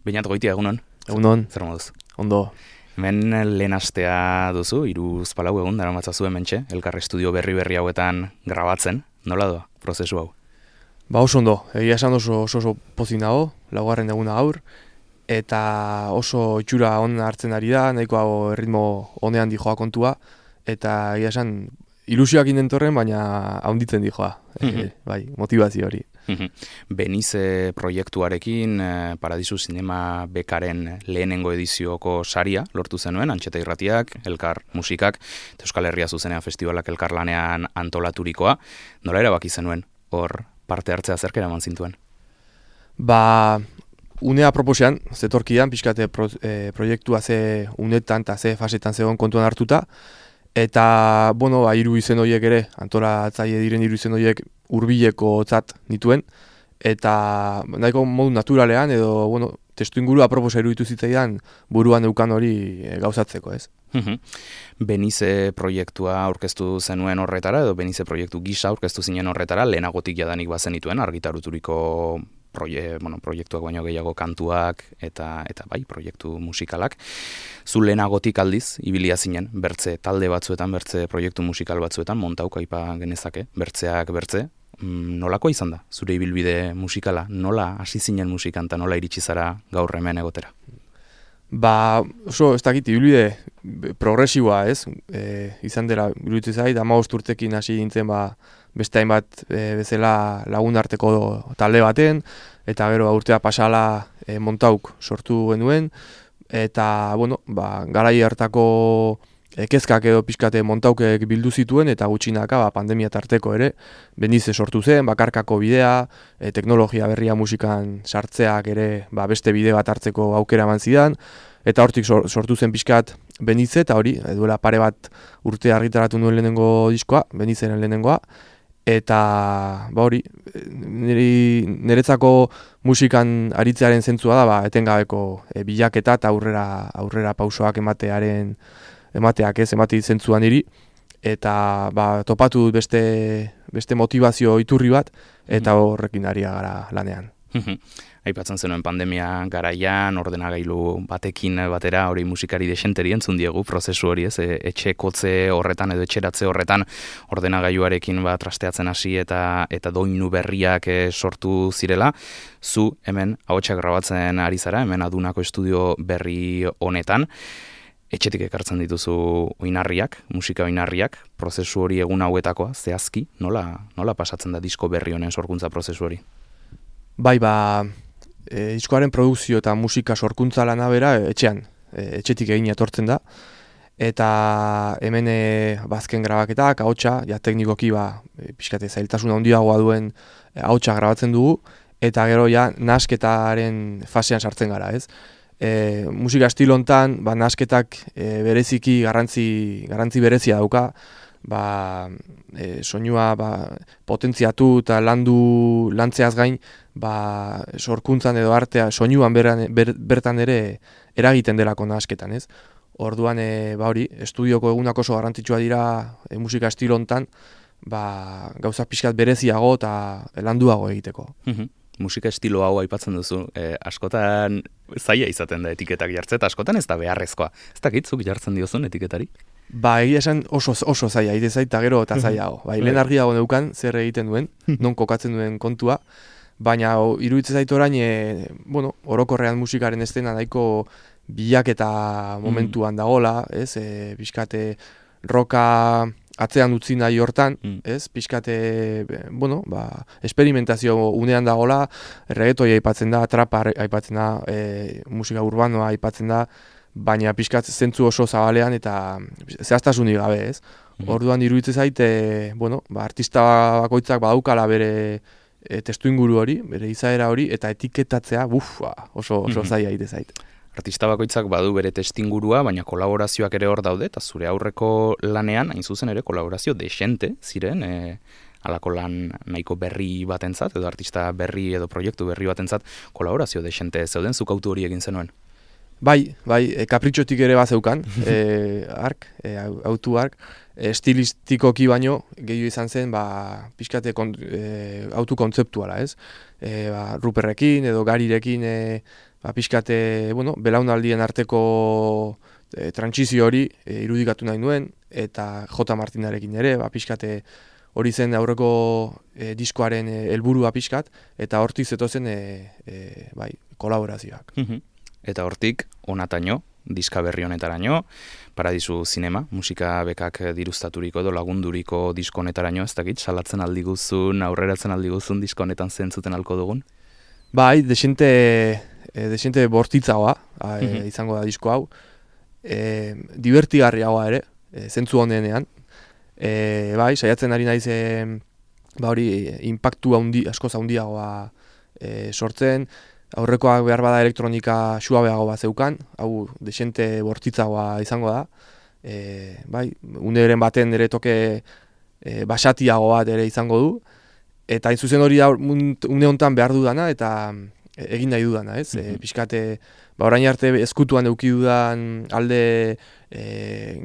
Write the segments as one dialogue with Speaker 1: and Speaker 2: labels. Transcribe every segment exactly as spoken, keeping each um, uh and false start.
Speaker 1: Beñat Goitia, egunon?
Speaker 2: Egunon.
Speaker 1: Zer moduz?
Speaker 2: Ondo.
Speaker 1: Hemen lehen astea duzu, hiruz palau egun, dara matzazu hementxe, elkar estudio berri-berri hauetan grabatzen. Nola doa, prozesu hau?
Speaker 2: Ba oso ondo, egia esan oso oso, oso pozik nago, laugarren eguna gaur, eta oso itxura on hartzen ari da, nahiko erritmo honean dijoa kontua, eta egia esan ilusioak indentorren, baina haunditzen dijoa, e, bai, motivazio hori.
Speaker 1: Benize proiektuarekin Paradisu Zinema Bekaren lehenengo edizioko saria lortu zenuen, Antxeta Irratiak, Elkar Musikak, eta Euskal Herria Zuzenean Festivalak elkarlanean antolaturikoa. Nola erabaki zenuen hor parte hartzea zerk eraman zintuen?
Speaker 2: Ba, unea proposean, zetorkian, pixkate pro, e, proiektua ze unetan eta ze fasetan zegoen kontuan hartuta, eta, bueno, ba, hiru izen horiek ere, antolatzaile diren hiru izen horiek hurbileko tzat nituen, eta nahiko modu naturalean, edo, bueno, testu ingurua proposa iruditu zitzaidan buruan eukan hori e, gauzatzeko, ez?
Speaker 1: Benize proiektua aurkeztu zenuen horretara, edo Benize proiektu gisa aurkeztu zinen horretara, lehenagotik jadanik bazen dituen, argitaruturiko proie, bueno, proiektuak baino gehiago kantuak eta eta bai, proiektu musikalak. Zu lehenagotik aldiz, ibilia zinen, bertze talde batzuetan, bertze proiektu musikal batzuetan, montauk aipa genezake, bertzeak bertze. Nolako izan da, zure ibilbide musikala? Nola hasi zinen musikan eta nola iritsi zara gaur hemen egotera?
Speaker 2: Ba, oso, ez dakit, ibilbide progresiboa, ez? E, izan dela, iruditzen zait, hamabost urtekin hasi dintzen, ba, beste hainbat e, bezala lagun arteko talde baten, eta gero urtea pasala e, montauk sortu genuen, eta, bueno, ba, garai hartako kezkak edo pixkate montaukek bildu zituen, eta gutxinaka ba, pandemia tarteko ere, Benize sortu zen, bakarkako bidea, e, teknologia berria musikan sartzeak ere ba, beste bide bat hartzeko aukera eman zidan, eta hortik sortu zen pixkat Benize, eta hori, duela pare bat urte argitaratu nuen lehenengo diskoa, Benizeren lehenengoa, eta ba hori, niri, niretzako musikan aritzearen zentzua da, ba, etengabeko e, bilaketa eta aurrera, aurrera pausoak ematearen emateak ez, emati zentzuan niri, eta ba, topatu dut beste, beste motivazio iturri bat, eta horrekin ari gara lanean.
Speaker 1: Aipatzen zenuen pandemia garaian, ordenagailu batekin batera, hori musikari desenteri entzun diegu, prozesu hori ez, etxe kotze horretan edo etxeratze horretan ordenagailuarekin bat trasteatzen hasi eta eta doinu berriak sortu zirela. Zu hemen ahotsak grabatzen ari zara, hemen Adunako estudio berri honetan, etxetik ekartzen dituzu oinarriak, musika oinarriak, prozesu hori egun hauetakoa, zehazki, nola, nola pasatzen da disko berri honen sorkuntza prozesu hori?
Speaker 2: Bai, ba, e, diskoaren produkzio eta musika sorkuntza lana bera etxean, e, etxetik egin etortzen da, eta hemen e, bazken grabaketak, ahotsa, ja teknikoki ba, e, pixkate zailtasuna handiagoa duen e, ahotsa grabatzen dugu, eta gero ja nasketaren fasean sartzen gara, ez? E, musika estilo hontan, ba, nasketak e, bereziki garrantzi, garrantzi berezia dauka, ba, e, soinua ba, potentziatu eta landu lantzeaz gain, ba, sorkuntzan edo artea soinuan beran, ber, bertan ere eragiten delako nasketan, ez? Orduan, e, ba hori, estudioko egunak oso garrantzitsua dira e, musika estilo hontan, ba, gauza pixkat bereziago eta landuago egiteko.
Speaker 1: Musika estilo hau aipatzen duzu, eh, askotan zaila izaten da etiketak jartzeta, askotan ez da beharrezkoa. Ez dakitzuk jartzen diozun etiketari?
Speaker 2: Ba, egia esan oso, oso zaila, ite zaita gero eta zailago. Bai, lehen argiago neukan zer egiten duen, non kokatzen duen kontua, baina iruditzen zait orain, e, bueno, orokorrean musikaren estena nahiko bilaketa momentuan dagola, ez, e, pixkate roka atzean utzi nahi hortan, mm. ez, pixkate, bueno, ba, esperimentazio unean dagola, reggaetoia aipatzen da, trapa aipatzen da, e, musika urbanoa aipatzen da, baina pixkat zentzu oso zabalean eta zehaztasunik gabe, ez. Mm. Orduan iruditzen zait, e, bueno, ba, artista bakoitzak badaukala bere e, testu inguru hori, bere izaera hori, eta etiketatzea, buf, ba, oso, oso zaila ite zait.
Speaker 1: Artista bakoitzak badu bere testingurua, baina kolaborazioak ere hor daude, eta zure aurreko lanean, hain zuzen ere, kolaborazio desente ziren, e, alako lan nahiko berri batentzat, edo artista berri edo proiektu berri batentzat, kolaborazio desente zeuden, zuk autu hori egin zenuen?
Speaker 2: Bai, bai, e, kapritxotik ere bazeukan, e, ark, e, autu ark, e, estilistikoki baino, gehiago izan zen, ba, pixkate kon, e, autu kontzeptuala, ez? E, ba, Ruperrekin edo Garirekin e, ba, pixkate, bueno, belaunaldien arteko e, trantsizio hori e, irudikatu nahi nuen, eta J. Martinarekin ere, ba, pixkate hori zen aurreko e, diskoaren helburua pixkat, eta hortik zetozen e, e, bai, kolaborazioak.
Speaker 1: Eta hortik, onataino, diska berri honetaraino, Paradisu Zinema, musika bekak diruztaturiko edo lagunduriko disko honetaraino, ez dakit, salatzen aldi guzun, aurreratzen aldi guzun disko honetan zentzuten alko dugun?
Speaker 2: Bai, desente, e, desente bortitzagoa e, izango da disko hau, e, divertigarriagoa ere, e, zentzu honenean, e, bai, saiatzen ari naiz e, ba hori, impactu haundi, askoz handiagoa e, sortzen, aurrekoak behar bada elektronika suabeago bat zeukan, hau desente bortitzagoa izango da. E, bai, uneren baten ere toke e, basatiago bat ere izango du. Eta hain zuzen hori da une honetan behar dudana eta egin nahi dudana, ez? E, pixkate, ba, orain arte ezkutuan eduki dudan alde e,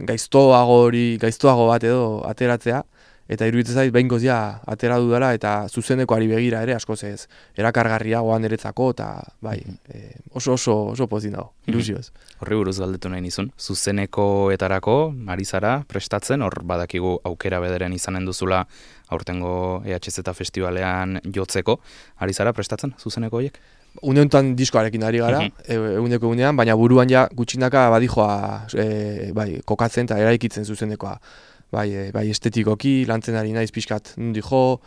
Speaker 2: gaiztoago hori, gaiztoago bat edo ateratzea. Eta iruditzen zait behingoz ja atera dudala eta zuzenekoari begira ere askoz ez erakargarriagoa niretzako eta bai, e, oso oso oso pozik dago, ilusioz.
Speaker 1: Horri buruz galdetu nahi nizun, zuzenekoetarako ari zara prestatzen, hor badakigu aukera bederen izanen duzula aurtengo E H Z festivalean jotzeko, ari zara prestatzen zuzeneko horiek?
Speaker 2: Une honetan diskoarekin ari gara, eguneko egunean, baina buruan ja gutxinaka badijoa e, bai, kokatzen eta eraikitzen zuzenekoa. Bai, e, bai estetikoki, lantzen ari naiz pixkat nundi jo,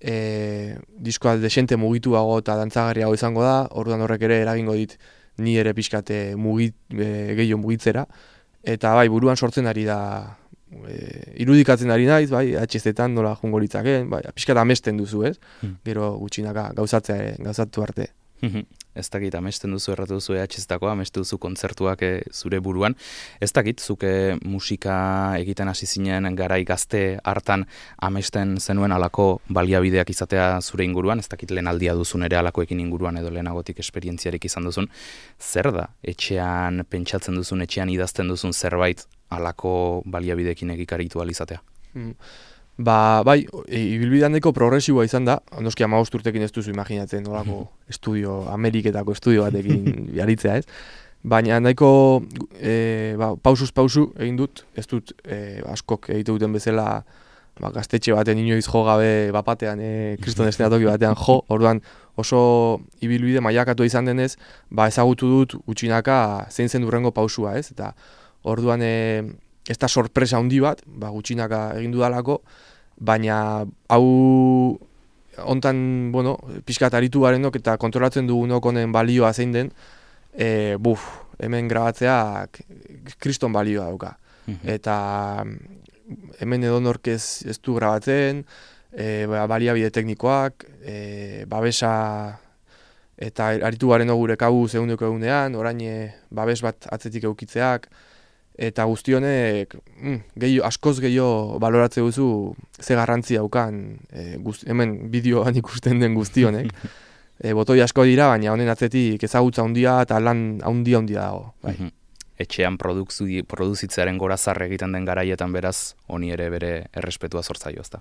Speaker 2: e, diskoa desente mugituago eta dantzagarriago izango da, orduan horrek ere eragingo dit ni ere pixkat e, mugit, e, gehiago mugitzera, eta bai, buruan sortzen ari da, e, irudikatzen ari naiz, bai, H Z-tan nola jungo litzaken, bai, pixkat amesten duzu, ez? Hmm. Gero gutxinaka gauzatzea, gauzatu arte.
Speaker 1: Ez dakit, amesten duzu, erratu duzu E H Z-tako, amesten duzu kontzertuak e, zure buruan. Ez dakit, zuke musika egiten hasi zinen garai gazte hartan amesten zenuen alako baliabideak izatea zure inguruan, ez dakit lehen aldia duzun ere alakoekin inguruan edo lehenagotik esperientziarik izan duzun. Zer da, etxean pentsatzen duzun, etxean idazten duzun zerbait alako baliabideekin egikaritu alizatea?
Speaker 2: Hmm. Ba, bai, ibilbidean nahiko progresiboa izan da, noski hamabost urtekin ez duzu imaginatzen nolako estudio, Ameriketako estudio batekin jaritzea, ez? Baina nahiko e, ba, pausuz pausu egin dut, ez dut e, askok egite duten bezala ba, gaztetxe baten inoiz jo gabe bapatean, e, kriston estenatoki batean jo, orduan oso ibilbide mailakatu izan denez, ba, ezagutu dut gutxinaka zein zen durrengo pausua, ez? Eta orduan e, ez da sorpresa handi bat, ba, gutxinaka egin dudalako, baina hau hontan, bueno, pixkat aritu garenok eta kontrolatzen dugunok honen balioa zein den, e, buf, hemen grabatzeak kriston balioa dauka. Eta hemen edonork ez, ez du grabatzen, e, baliabide teknikoak, e, babesa eta aritu garenok gure kabu zehundeko egunean, orain e, babes bat atzetik eukitzeak, eta guzti honek mm, gehiago, askoz gehiago baloratze duzu ze garrantzi daukan e, guzti, hemen bideoan ikusten den guzti honek. E, botoi asko dira, baina honen atzetik ezagutza handia eta lan handia handia dago. Bai.
Speaker 1: Etxean produzitzearen gorazarre egiten den garaietan beraz, honi ere bere errespetua sortzaio, ezta?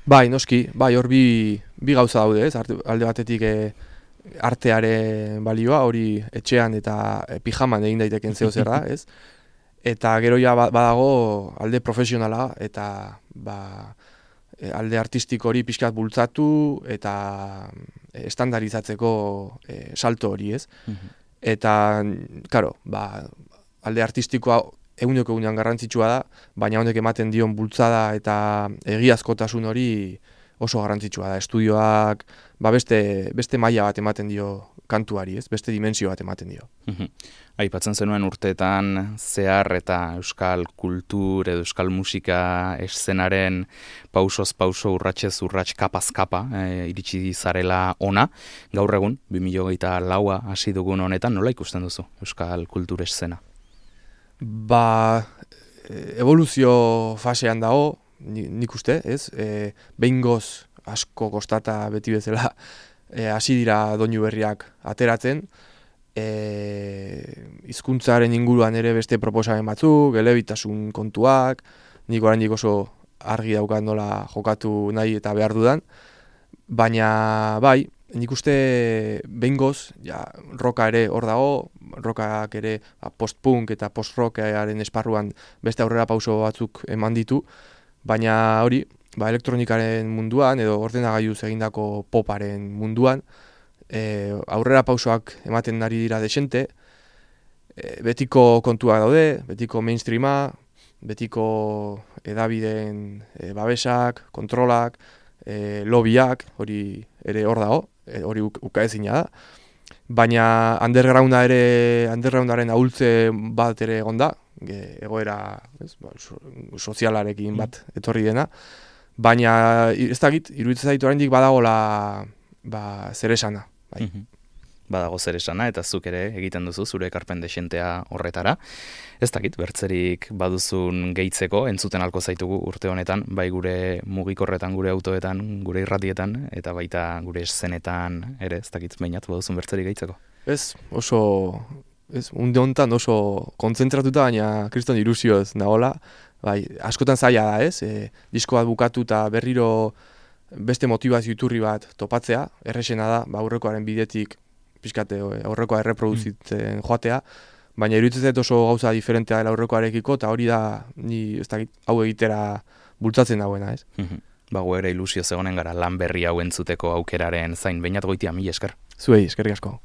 Speaker 2: Bai, noski, bai, hor bi, bi gauza daude, ez? Alde batetik e, artearen balioa, hori etxean eta e, pijaman egin daiteken zeo zer da, ez? Eta gero ja badago alde profesionala eta ba, alde artistiko hori pixkat bultzatu eta estandarizatzeko e, salto hori, ez? Mm-hmm. Eta, karo, ba, alde artistikoa eguneko egunean garrantzitsua da, baina honek ematen dion bultzada eta egiazkotasun hori oso garrantzitsua da. Estudioak ba, beste, beste maila bat ematen dio kantuari, ez? Beste dimensio bat ematen dio.
Speaker 1: Aipatzen zenuen urteetan zehar eta euskal kultur edo euskal musika eszenaren pausoz pauso urratsez urrats kapaz kapa e, iritsi zarela ona. Gaur egun, bi mila hogeita laua hasi dugun honetan, nola ikusten duzu euskal kultur eszena?
Speaker 2: Ba, evoluzio fasean dago, nik uste, ez? E, behingoz asko kostata beti bezala E, hasi dira doinu berriak ateratzen, e, hizkuntzaren inguruan ere beste proposamen batzuk, elebitasun kontuak, nik oraindik oso argi daukat nola jokatu nahi eta behar dudan, baina bai, nik uste behingoz, ja, roka ere hor dago, rokak ere ba, post-punk eta post-rockaren esparruan beste aurrera pauso batzuk eman ditu, baina hori, ba, elektronikaren munduan edo ordenagailuz egindako poparen munduan, e, aurrera pausoak ematen ari dira desente, e, betiko kontua daude, betiko mainstreama, betiko edabideen e, babesak, kontrolak, e, lobbyak, hori ere hor dago, e, hori ukaezina da. Baina undergrounda ere, undergroundaren ahultze bat ere egon da, egoera ez, ba, so, sozialarekin bat etorri dena. Baina ez dakit, iruditzen zaitu oraindik badagola ba, zer esana. Bai.
Speaker 1: Mm-hmm. Badago zer esana, eta zuk ere egiten duzu zure ekarpen desentea horretara. Ez dakit, bertzerik baduzun gehitzeko, entzuten alko zaitugu urte honetan, bai gure mugikorretan, gure autoetan, gure irratietan, eta baita gure eszenetan ere, ez dakit, bainat, baduzun bertzerik gehitzeko.
Speaker 2: Ez, oso, ez, unde honetan oso kontzentratuta, baina kriston ilusioz nagola, bai, askotan zaila da, ez, e, disko bat bukatu eta berriro beste motivazio iturri bat topatzea, errexena da, ba, aurrekoaren bidetik, pixkate aurrekoa erreproduzitzen joatea, baina iruditzen zait oso gauza diferentea dela aurrekoarekiko, eta hori da, ni ez dakit, hau egitera bultzatzen dagoena, ez?
Speaker 1: Bago ere ilusio zegonen gara lan berri hau entzuteko aukeraren zain, Beñat Goitia, mila esker.
Speaker 2: Zuei, eskerrik asko.